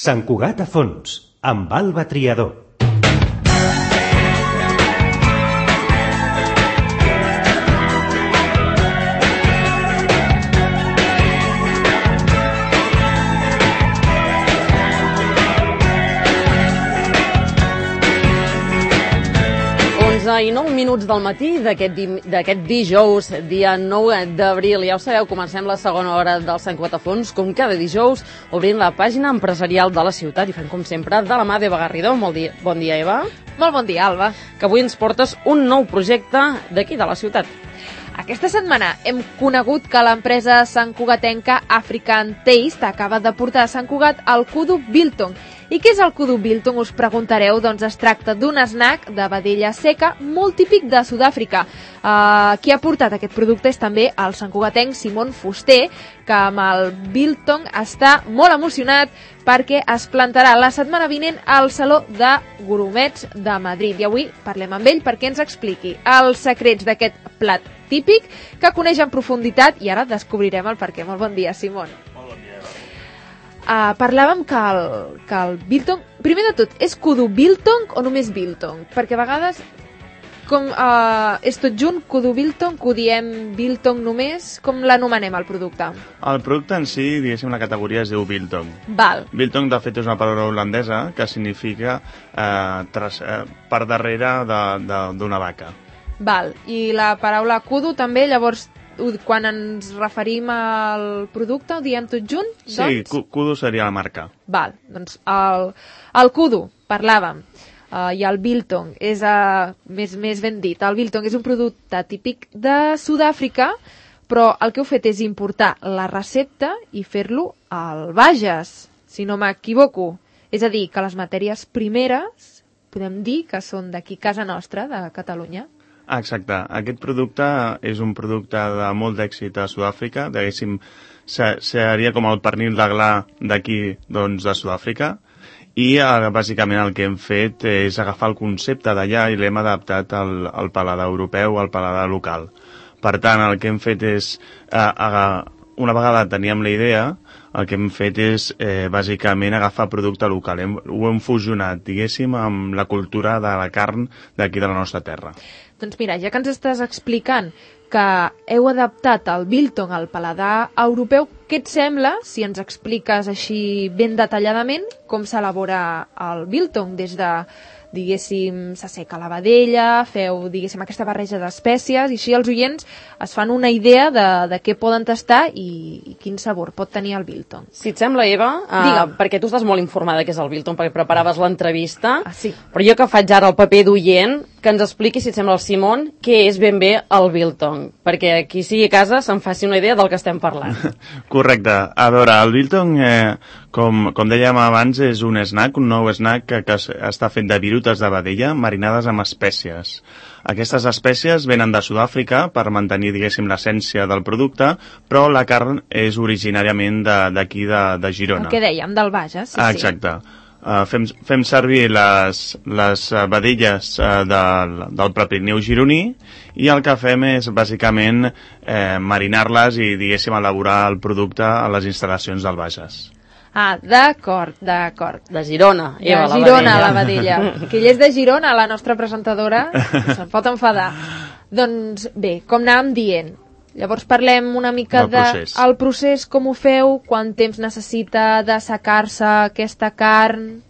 Sant Cugat a fons, amb Alba Triador. I 9 minuts del matí d'aquest dijous, dia 9 d'abril. Ja ho sabeu, comencem la segona hora del Sant Cugat a fons, com cada dijous, obrint la pàgina empresarial de la ciutat i fem, com sempre, de la mà d'Eva Garrido. Bon dia, Eva. Molt bon dia, Alba. Que avui ens portes un nou projecte d'aquí, de la ciutat. Aquesta setmana hem conegut que l'empresa santcugatenca African Taste acaba de portar a Sant Cugat el Kudu Biltong. I què és el Kudu Biltong, us preguntareu? Doncs es tracta d'un snack de vedella seca molt típic de Sud-àfrica. Qui ha portat aquest producte és també el santcugatenc Simon Fuster, que amb el Biltong està molt emocionat perquè es plantarà la setmana vinent al Saló de Gourmets de Madrid. I avui parlem amb ell perquè ens expliqui els secrets d'aquest plat típic que coneix en profunditat i ara descobrirem el perquè. Molt bon dia, Simon. Molt bon dia. Parlàvem que el Biltong, primer de tot, és Kudu Biltong o només Biltong? Perquè a vegades és tot junt, Kudu Biltong, que ho diem Biltong només, com l'anomenem el producte? El producte en si, diguéssim, la categoria es diu Biltong. Val. Biltong, de fet, és una paraula holandesa que significa per darrere d'una vaca. Val, i la paraula Kudu també, llavors, quan ens referim al producte, ho diem tot junt? Sí, Kudu seria la marca. Val, doncs el Kudu, parlàvem, i el Biltong és, més ben dit, el Biltong és un producte típic de Sud-àfrica, però el que heu fet és importar la recepta i fer-lo al Bages, si no m'equivoco. És a dir, que les matèries primeres podem dir que són d'aquí, casa nostra, de Catalunya. Exacte. Aquest producte és un producte de molt d'èxit a Sud-àfrica. Diguéssim, seria com el pernil de gla d'aquí, doncs, de Sud-àfrica. I bàsicament el que hem fet és agafar el concepte d'allà i l'hem adaptat al paladar europeu, al paladar local. Per tant, el que hem fet és, una vegada teníem la idea, el que hem fet és bàsicament agafar producte local. Ho hem fusionat, diguéssim, amb la cultura de la carn d'aquí de la nostra terra. Doncs mira, ja que ens estàs explicant que heu adaptat el Biltong al paladar europeu, què et sembla si ens expliques així ben detalladament com s'elabora el Biltong des de, diguéssim, s'asseca la vedella, feu, diguéssim, aquesta barreja d'espècies, i així els oients es fan una idea de què poden tastar i quin sabor pot tenir el Biltong. Si et sembla, Eva, perquè tu estàs molt informada que és el Biltong, perquè preparaves l'entrevista, sí. Però jo que faig ara el paper d'oient, que ens expliqui, si et sembla, el Simon, què és ben bé el Biltong, perquè qui sigui a casa se'n faci una idea del que estem parlant. Correcte. A veure, el Biltong, com dèiem abans, és un snack, un nou snack que està fet de virutes de vedella marinades amb espècies. Aquestes espècies venen de Sud-àfrica per mantenir, diguéssim, l'essència del producte, però la carn és originàriament d'aquí, de Girona. El que dèiem, del Bages. Sí, exacte. Fem servir les vedelles del Prepirineu gironí i el que fem és bàsicament marinar-les i, diguéssim, elaborar el producte a les instal·lacions del Bages. D'acord. De Girona, Eva, de Girona, la vedella. Que ella és de Girona, la nostra presentadora, se'n pot enfadar. Doncs bé, com anàvem dient, llavors parlem una mica del procés, com ho feu, quant temps necessita d'assecar-se aquesta carn...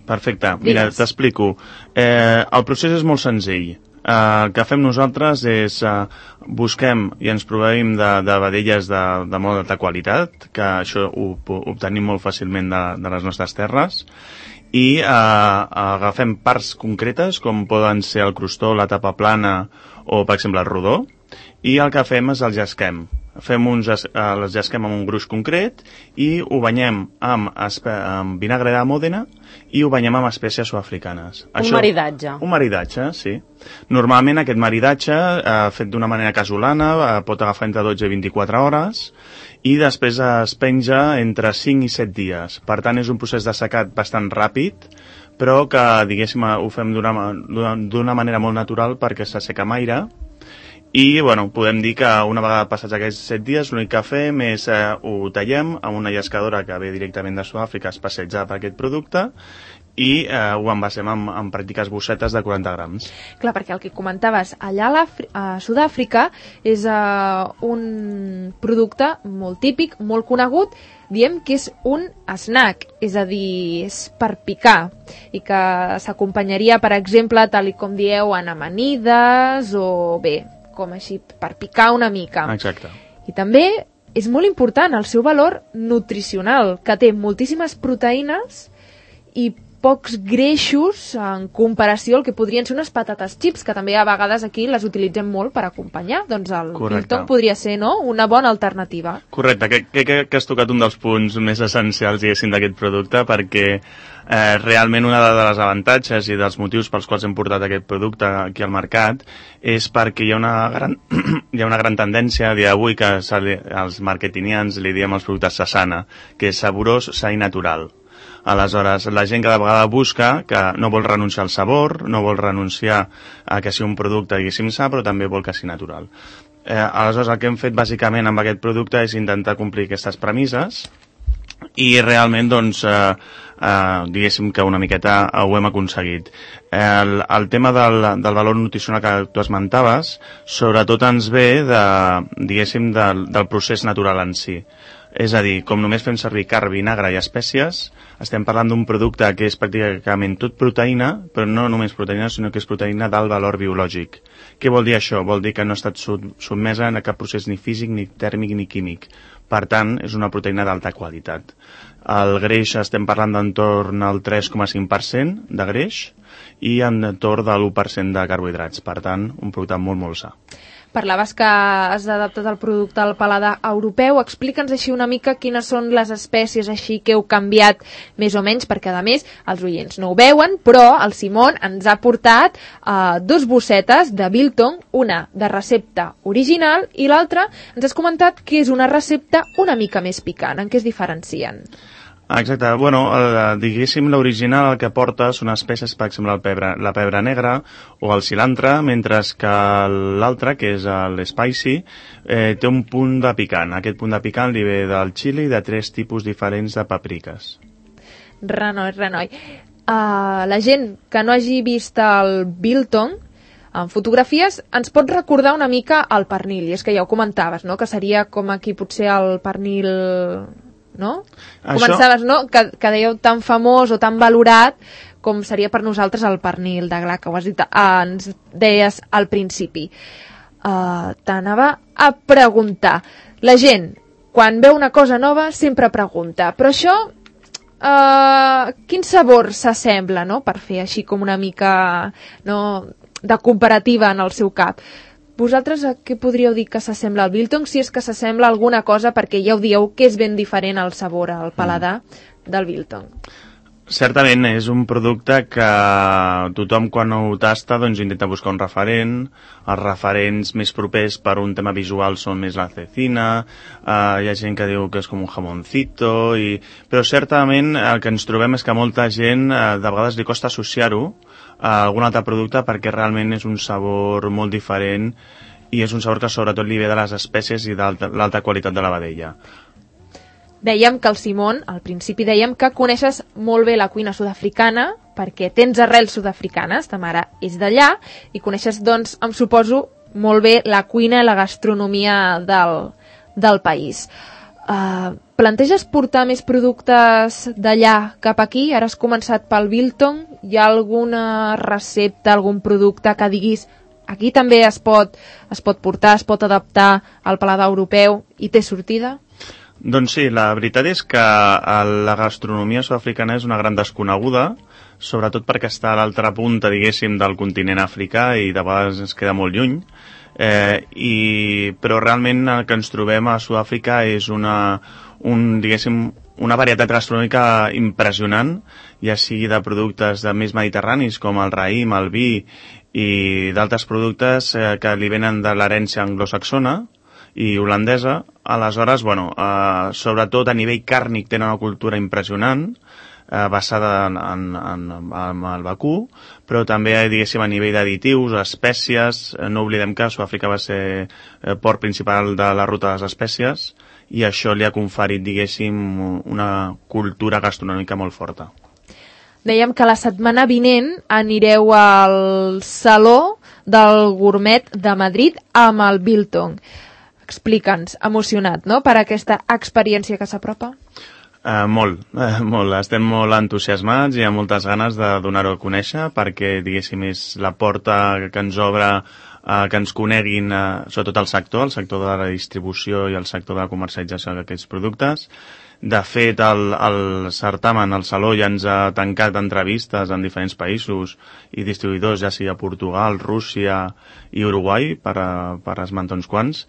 Perfecte, mira, t'explico. El procés és molt senzill. El que fem nosaltres és busquem i ens proveïm de vedelles de molt alta qualitat, que això ho obtenim molt fàcilment de les nostres terres, i agafem parts concretes, com poden ser el crostó, la tapa plana o, per exemple, el rodó, i el que fem és el llesquem. Les llesquem amb un gruix concret i ho banyem amb vinagre de Mòdena i ho banyem amb espècies sud-africanes. Maridatge. Un maridatge, sí. Normalment aquest maridatge, fet d'una manera casolana, pot agafar entre 12 i 24 hores i després es penja entre 5 i 7 dies. Per tant, és un procés d'assecat bastant ràpid, però que, diguéssim, ho fem d'una manera molt natural perquè s'asseca amb aire i podem dir que una vegada passats aquests 7 dies l'únic que fem és ho tallem amb una llescadora que ve directament de Sud-àfrica especialitzada per aquest producte i ho envasem en pràctiques bossetes de 40 grams. Clar, perquè el que comentaves, allà a Sud-àfrica és un producte molt típic, molt conegut, diem que és un snack, és a dir, és per picar, i que s'acompanyaria, per exemple, tal com dieu, en amanides o bé, com així, per picar una mica. Exacte. I també és molt important el seu valor nutricional, que té moltíssimes proteïnes i pocs greixos en comparació al que podrien ser unes patates chips, que també a vegades aquí les utilitzem molt per acompanyar. Doncs el biltong podria ser, no?, una bona alternativa. Correcte, que has tocat un dels punts més essencials, diguéssim, d'aquest producte, perquè realment una de les avantatges i dels motius pels quals hem portat aquest producte aquí al mercat és perquè hi ha una gran tendència a dia d'avui que els marketingians li diem als productes sasana, que és saborós, sa i natural. Aleshores, la gent cada vegada busca que no vol renunciar al sabor, no vol renunciar a que sigui un producte, diguéssim, sa, però també vol que sigui natural. Aleshores, el que hem fet bàsicament amb aquest producte és intentar complir aquestes premisses i realment, doncs, diguéssim que una miqueta ho hem aconseguit. El tema del valor nutricional que tu esmentaves, sobretot ens ve diguéssim, del procés natural en si. És a dir, com només fem servir carn, vinagre i espècies, estem parlant d'un producte que és pràcticament tot proteïna, però no només proteïna, sinó que és proteïna d'alt valor biològic. Què vol dir això? Vol dir que no ha estat sotmesa a cap procés ni físic, ni tèrmic, ni químic. Per tant, és una proteïna d'alta qualitat. El greix estem parlant d'entorn al 3,5% de greix i entorn de l'1% de carbohidrats. Per tant, un producte molt, molt sa. Parlaves que has adaptat el producte al paladar europeu. Explica'ns així una mica quines són les espècies així que heu canviat més o menys, perquè a més els oients no ho veuen, però el Simon ens ha portat 2 bossetes de biltong, una de recepta original i l'altra ens has comentat que és una recepta una mica més picant. En què es diferencien? Exacte, diguéssim, l'original el que porta són espècies, per exemple, la pebre negra o el cilantre, mentre que l'altre, que és l'spicy, té un punt de picant. Aquest punt de picant li ve del xili i de 3 tipus diferents de papriques. Renoi. La gent que no hagi vist el biltong, en fotografies, ens pot recordar una mica el pernil, i és que ja ho comentaves, no?, que seria com aquí potser el pernil... no? Començaves, no?, que dèieu tan famós o tan valorat com seria per nosaltres el pernil de gla, que ho has dit, ens deies al principi. T'anava a preguntar. La gent, quan veu una cosa nova, sempre pregunta, però això, quin sabor s'assembla, no?, per fer així com una mica, no?, de comparativa en el seu cap. Vosaltres a què podríeu dir que s'assembla al biltong, si és que s'assembla alguna cosa, perquè ja ho dieu que és ben diferent el sabor, el paladar del biltong? Certament és un producte que tothom quan ho tasta doncs intenta buscar un referent. Els referents més propers per un tema visual són més la cecina, hi ha gent que diu que és com un jamoncito, però certament el que ens trobem és que molta gent de vegades li costa associar-ho a algun altre producte perquè realment és un sabor molt diferent i és un sabor que sobretot li ve de les espècies i de l'alta qualitat de la vedella. Dèiem que el Simon, al principi dèiem que coneixes molt bé la cuina sud-africana perquè tens arrels sud-africanes, ta mare és d'allà, i coneixes, doncs, em suposo, molt bé la cuina i la gastronomia del país. Planteges portar més productes d'allà cap aquí? Ara has començat pel biltong. Hi ha alguna recepta, algun producte que diguis aquí també es pot portar, es pot adaptar al paladar europeu i té sortida? Doncs sí, la veritat és que la gastronomia sud-africana és una gran desconeguda, sobretot perquè està a l'altra punta, diguéssim, del continent africà i de vegades ens queda molt lluny. Però realment el que ens trobem a Sud-àfrica és una varietat gastronòmica impressionant, ja sigui de productes més mediterranis com el raïm, el vi i d'altres productes que li venen de l'herència anglosaxona i holandesa. Aleshores, sobretot a nivell càrnic tenen una cultura impressionant. basada en el vacú, però també, diguéssim, a nivell d'additius, espècies. No oblidem que Sud-àfrica va ser port principal de la ruta de les espècies i això li ha conferit, diguéssim, una cultura gastronòmica molt forta. Dèiem que la setmana vinent anireu al Saló del Gourmet de Madrid amb el Biltong. Explica'ns, emocionat, no?, per aquesta experiència que s'apropa? Molt. Estem molt entusiasmats i amb moltes ganes de donar-ho a conèixer perquè, diguéssim, és la porta que ens obre que ens coneguin, sobretot el sector de la distribució i el sector de la comercialització d'aquests productes. De fet, el certamen, el Saló, ja ens ha tancat entrevistes en diferents països i distribuïdors, ja sigui a Portugal, Rússia i Uruguai, per esmentar uns quants,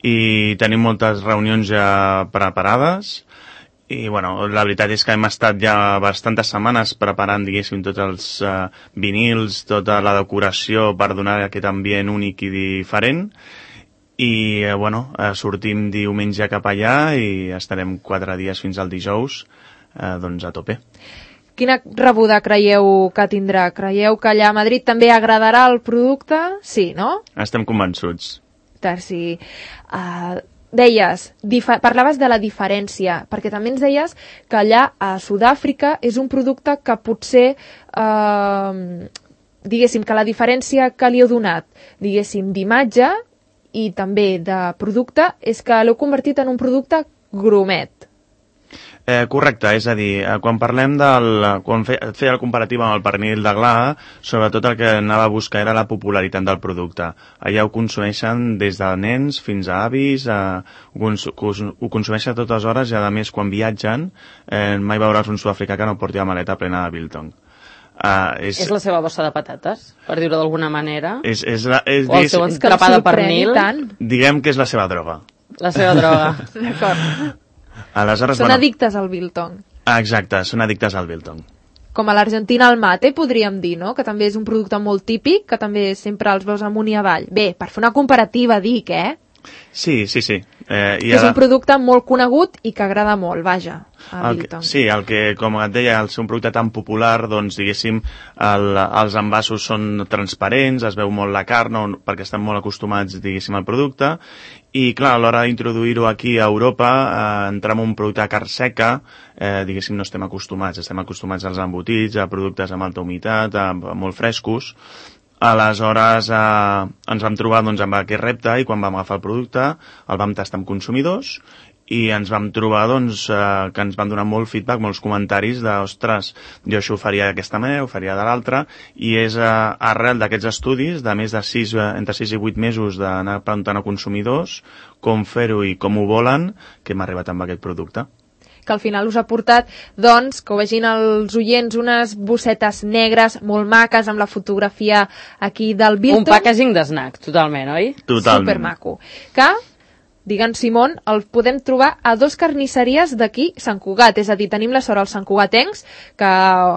i tenim moltes reunions ja preparades. I, bueno, la veritat és que hem estat ja bastantes setmanes preparant, diguéssim, tots els vinils, tota la decoració per donar aquest ambient únic i diferent. I, bueno, sortim diumenge cap allà i estarem 4 dies fins al dijous, doncs a tope. Quina rebuda creieu que tindrà? Creieu que allà a Madrid també agradarà el producte? Sí, no? Estem convençuts. Sí. Deies, parlaves de la diferència, perquè també ens deies que allà a Sud-àfrica és un producte que potser, diguéssim, que la diferència que li heu donat, diguéssim, d'imatge i també de producte és que l'heu convertit en un producte gourmet. Correcte, és a dir, quan parlem quan feia la comparativa amb el pernil de gla, sobretot el que anava a buscar era la popularitat del producte. Allà ho consumeixen des de nens fins a avis, ho consumeixen a totes hores i, a més, quan viatgen, mai veuràs un sud-africà que no porti la maleta plena de Biltong. És la seva bossa de patates, per dir-ho d'alguna manera? O el seu escarapà de pernil? Diguem que és la seva droga. La seva droga. D'acord. Aleshores, són addictes al Biltong. Exacte, són addictes al Biltong. Com a l'Argentina al mate, podríem dir, no?, que també és un producte molt típic, que també sempre els veus amunt i avall. Bé, per fer una comparativa, dic, Sí. És un producte molt conegut i que agrada molt, vaja, a Biltong. Sí, com et deia, al ser un producte tan popular, doncs, diguéssim, els envasos són transparents, es veu molt la carn, perquè estan molt acostumats, diguéssim, al producte, i, clar, a l'hora d'introduir-ho aquí a Europa, entrar en un producte de carn seca, diguéssim, no estem acostumats als embotits, a productes amb alta humitat, molt frescos. Aleshores ens vam trobar amb aquest repte i quan vam agafar el producte el vam tastar amb consumidors i ens vam trobar que ens van donar molt feedback, molts comentaris de ostres, jo això ho faria d'aquesta manera, ho faria de l'altra, i és arrel d'aquests estudis de més de entre 6 i 8 mesos d'anar preguntant a consumidors com fer-ho i com ho volen que hem arribat amb aquest producte. Que al final us ha portat, doncs, que ho vegin els oients, unes bossetes negres molt maques amb la fotografia aquí del Biltong. Un packaging d'snack, totalment, oi? Totalment. Supermaco. Que, digue'ns, Simón, el podem trobar a 2 carnisseries d'aquí, Sant Cugat. És a dir, tenim la sort als santcugatencs que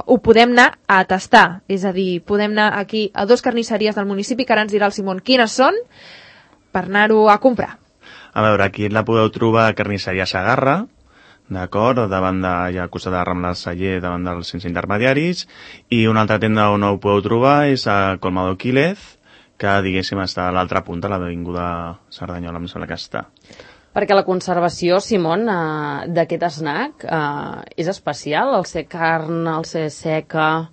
ho podem anar a tastar. És a dir, podem anar aquí a 2 carnisseries del municipi, que ara ens dirà el Simón quines són, per anar-ho a comprar. A veure, aquí la podeu trobar a Carnisseria Sagarra, d'acord, davant al costat de Rambla del Celler, davant dels sense intermediaris, i una altra tenda on ho podeu trobar és a Colmado Quílez, que, diguéssim, està a l'altra punta, a l'avinguda Cerdanyola, em sembla que està. Perquè la conservació, Simón, d'aquest snack és especial, el ser carn, el ser seca,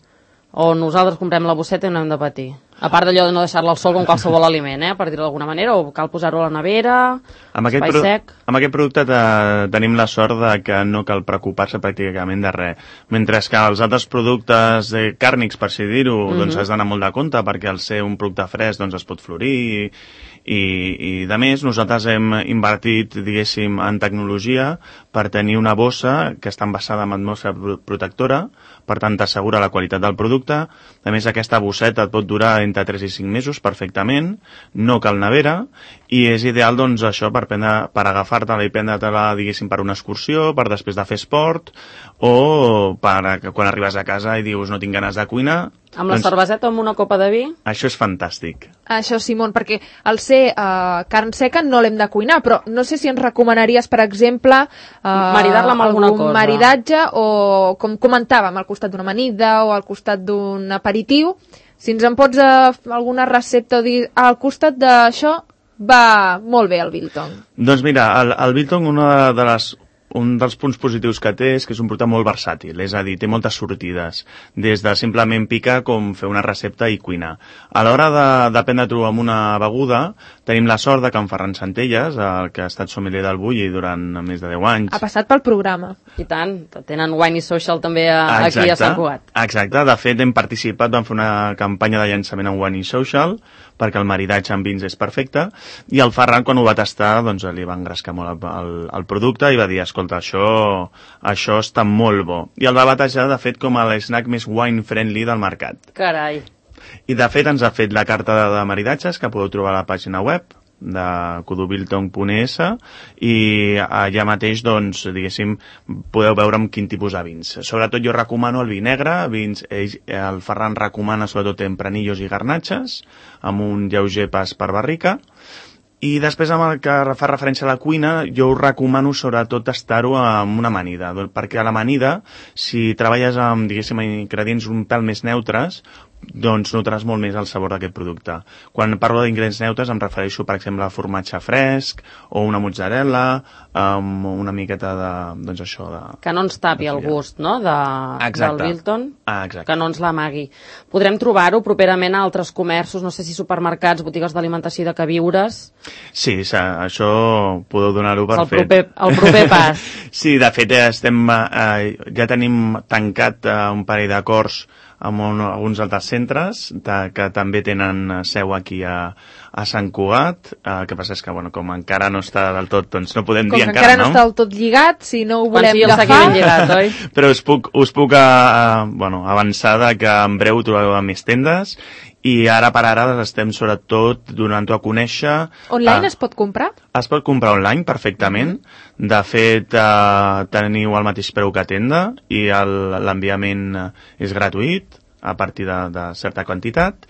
o nosaltres comprem la bosseta i no hem de patir? A part d'allò de no deixar-la al sol com qualsevol aliment, per dir-ho d'alguna manera, o cal posar-ho a la nevera, espai sec... Amb aquest producte tenim la sort de que no cal preocupar-se pràcticament de res. Mentre que els altres productes càrnics, per així dir-ho, doncs has d'anar molt de compte, perquè al ser un producte fresc doncs es pot florir i de més, nosaltres hem invertit, diguéssim, en tecnologia per tenir una bossa que està envasada amb atmosfera protectora, per tant t'assegura la qualitat del producte. A més, aquesta bosseta et pot durar entre 3 i 5 mesos perfectament, no cal nevera, i és ideal, doncs, això per agafar-te-la i prendre-te-la, diguéssim, per una excursió, per després de fer esport, o per quan arribes a casa i dius no tinc ganes de cuinar. Amb la cerveseta o amb una copa de vi? Això és fantàstic. Això, Simon, perquè al ser carn seca no l'hem de cuinar, però no sé si ens recomanaries, per exemple, maridar-la amb alguna cosa. Maridatge, o com comentàvem, al costat d'una amanida o al costat d'un aperitiu. Si ens en pots alguna recepta o dir al costat d'això, va molt bé el biltong. Doncs mira, el biltong, un dels punts positius que té és que és un producte molt versàtil, és a dir, té moltes sortides, des de simplement picar com fer una recepta i cuinar. A l'hora de prendre-ho amb una beguda, tenim la sort de que en Ferran Centelles, que ha estat sommelier del Bulli durant més de 10 anys... Ha passat pel programa. I tant, tenen Wine i Social també aquí a Sant Cugat. Exacte, de fet hem participat, vam fer una campanya de llançament en Wine i Social, perquè el maridatge amb vins és perfecte, i el Ferran, quan ho va tastar, doncs li va engrescar molt el producte i va dir, escolta, això està molt bo. I el va batejar, de fet, com l'esnack més wine-friendly del mercat. Carai. I, de fet, ens ha fet la carta de maridatges, que podeu trobar a la pàgina web de kudubiltong.es, i allà mateix, doncs, diguéssim, podeu veure amb quin tipus de vins. Sobretot jo recomano el vi negre, el Ferran recomana sobretot tempranillos i garnatges, amb un lleuger pas per barrica, i després, amb el que fa referència a la cuina, jo us recomano sobretot tastar-ho amb una amanida, perquè a l'amanida, si treballes amb, diguéssim, ingredients un pèl més neutres, doncs notaràs molt més el sabor d'aquest producte. Quan parlo d'ingredients neutres em refereixo, per exemple, a formatge fresc o una mozzarella, amb una miqueta de, doncs això, de... Que no ens tapi el gust, no?, del biltong, exacte. Que no ens l'amagui. Podrem trobar-ho properament a altres comerços, no sé si supermercats, botigues d'alimentació i de queviures... Sí, això podeu donar-ho per fet. El proper pas. Sí, de fet, ja tenim tancat un parell d'acords amb alguns altres centres que també tenen seu aquí a Sant Cugat. El que passa és que, com encara no està del tot, doncs no podem dir encara, no? Com encara no està del tot lligat, si no ho volem agafar... Quan sigui lligat, oi? Però us puc avançar que en breu trobeu a més tendes, i ara per ara estem sobretot donant-ho a conèixer... Online es pot comprar? Es pot comprar online perfectament. De fet, teniu el mateix preu que a tenda i l'enviament és gratuït a partir de certa quantitat,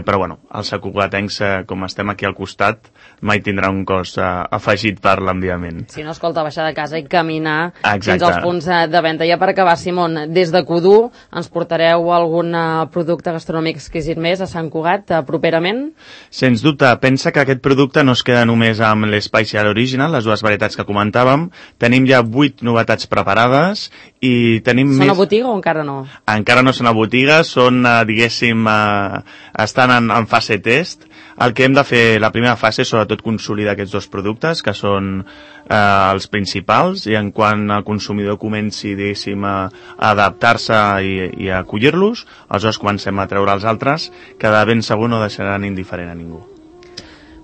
però els santcugatencs, com estem aquí al costat, mai tindrà un cost afegit per l'enviament. Si no, escolta, baixar de casa i caminar fins als punts de venda. Ja per acabar, Simon, des de Codú ens portareu algun producte gastronòmic exquisit més a Sant Cugat properament? Sens dubte, pensa que aquest producte no es queda només amb l'Spicial Original, les dues varietats que comentàvem. Tenim ja 8 novetats preparades i tenim Són a botiga o encara no? Encara no són a botiga, són, diguéssim, estan en fase test. El que hem de fer, la primera fase, és sobretot consolidar aquests dos productes, que són els principals, i en quan el consumidor comenci, diguéssim, a adaptar-se i a acollir-los, aleshores comencem a treure els altres, que de ben segur no deixaran indiferent a ningú.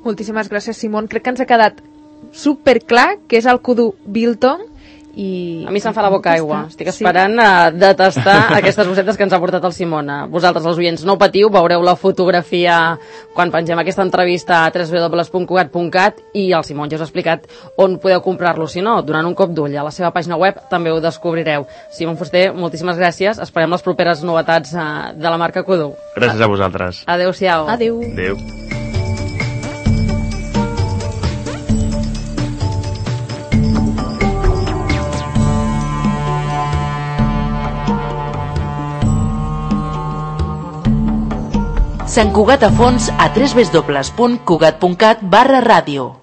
Moltíssimes gràcies, Simon. Crec que ens ha quedat superclar que és el Kudu Biltong. A mi se'm fa la boca aigua. Estic esperant de tastar aquestes bocetes que ens ha portat el Simon. Vosaltres, els oients, no patiu, veureu la fotografia quan pengem aquesta entrevista a www.cugat.cat, i el Simon ja us ha explicat on podeu comprar-lo. Si no, donant un cop d'ull a la seva pàgina web també ho descobrireu. Simon Fuster, moltíssimes gràcies. Esperem les properes novetats de la marca Kudu. Gràcies a vosaltres. Adéu-siau. Adéu. Adéu. Sant Cugat a fons a www.cugat.cat/ràdio.